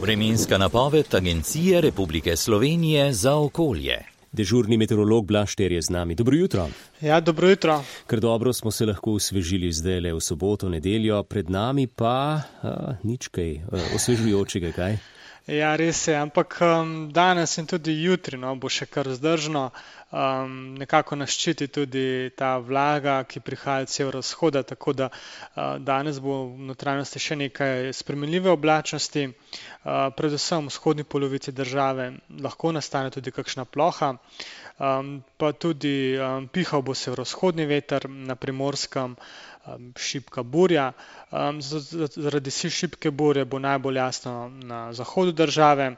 Vremenska napoved Agencije Republike Slovenije za okolje. Dežurni meteorolog Blaž Šter je z nami. Dobro jutro. Ja, dobro jutro. Ker dobro smo se lahko osvežili zdajle v soboto, nedeljo, pred nami pa nič kaj osvežujočega, kaj? Ja, res je, ampak danes in tudi jutri bo še kar vzdržno. Nekako nas ščiti tudi ta vlaga, ki prihaja od severovzhoda, tako da danes bo v notranjosti še nekaj spremenljive oblačnosti. Predvsem v vzhodni polovici države lahko nastane tudi kakšna ploha, pa tudi pihal bo severovzhodni veter, na Primorskem šibka burja. Zaradi šibke burje bo najbolj jasno na zahodu države,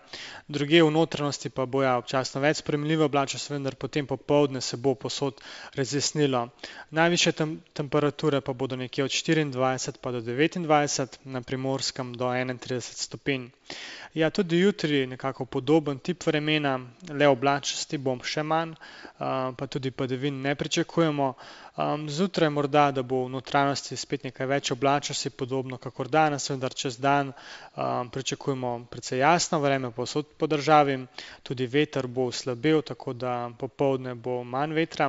drugje v notranjosti pa bo občasno več spremenljive oblačnosti, vendar potem popoldne se bo povsod razjasnilo. Najvišje temperature pa bodo nekje od 24 pa do 29, na Primorskem do 31 stopinj. Ja, tudi jutri nekako podoben tip vremena, le oblačnosti bo še manj, pa tudi padavin ne pričakujemo. Zjutraj morda, da bo v notranjosti spet nekaj več oblačnosti, podobno kakor danes, vendar čez dan pričakujemo precej jasno vreme povsod po državi, tudi veter bo slabel, tako da popoldne bo manj vetra.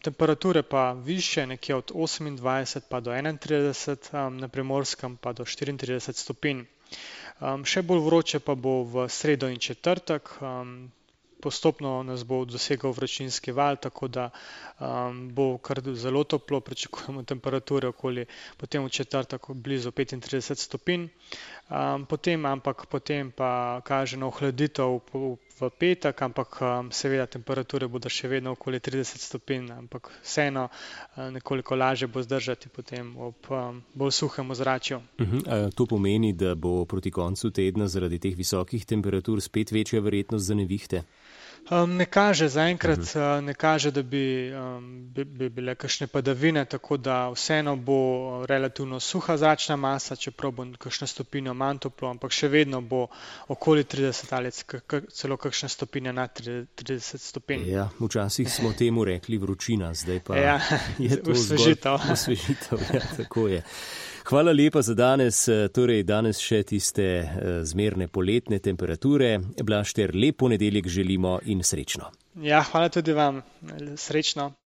Temperature pa višje, nekje od 28 pa do 31, na Primorskem pa do 34 stopinj. Še bolj vroče pa bo v sredo in četrtek, postopno nas bo dosegal vročinski val, tako da bo kar zelo toplo, pričakujemo temperature okoli potem v četrtek blizu 35 stopinj. Potem pa kaže na ohladitev v petek, ampak seveda temperature bodo še vedno okoli 30 stopinj, ampak vseeno nekoliko lažje bo zdržati potem ob bolj suhem ozračju. To pomeni, da bo proti koncu tedna zaradi teh visokih temperatur spet večja verjetnost za nevihte? Ne kaže, zaenkrat ne kaže, da bi bile kakšne padavine, tako da vseeno bo relativno suha zračna masa, čeprav bo kakšna stopinja manj toplo, ampak še vedno bo okoli 30 ali celo kakšna stopinja nad 30 stopinj. Ja, včasih smo temu rekli vročina, zdaj pa je to osvežitev. Osvežitev, ja, tako je. Hvala lepa za danes, torej danes še tiste zmerne poletne temperature. Blaž Šter, lep ponedeljek želimo in srečno. Ja, hvala tudi vam, srečno.